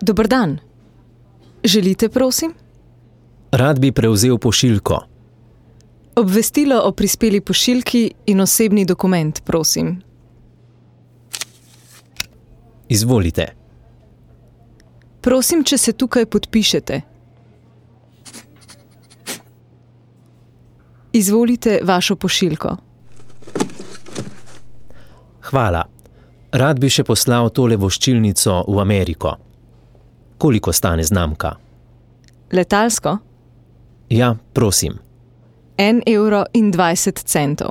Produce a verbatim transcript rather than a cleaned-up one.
Dober dan. Želite, prosim? Rad bi prevzel pošiljko. Obvestilo o prispeli pošiljki in osebni dokument, prosim. Izvolite. Prosim, če se tukaj podpišete. Izvolite vašo pošiljko. Hvala. Rad bi še poslal tole voščilnico v Ameriko. Koliko stane znamka? Letalsko? Ja, prosim. En evro in dvajset centov.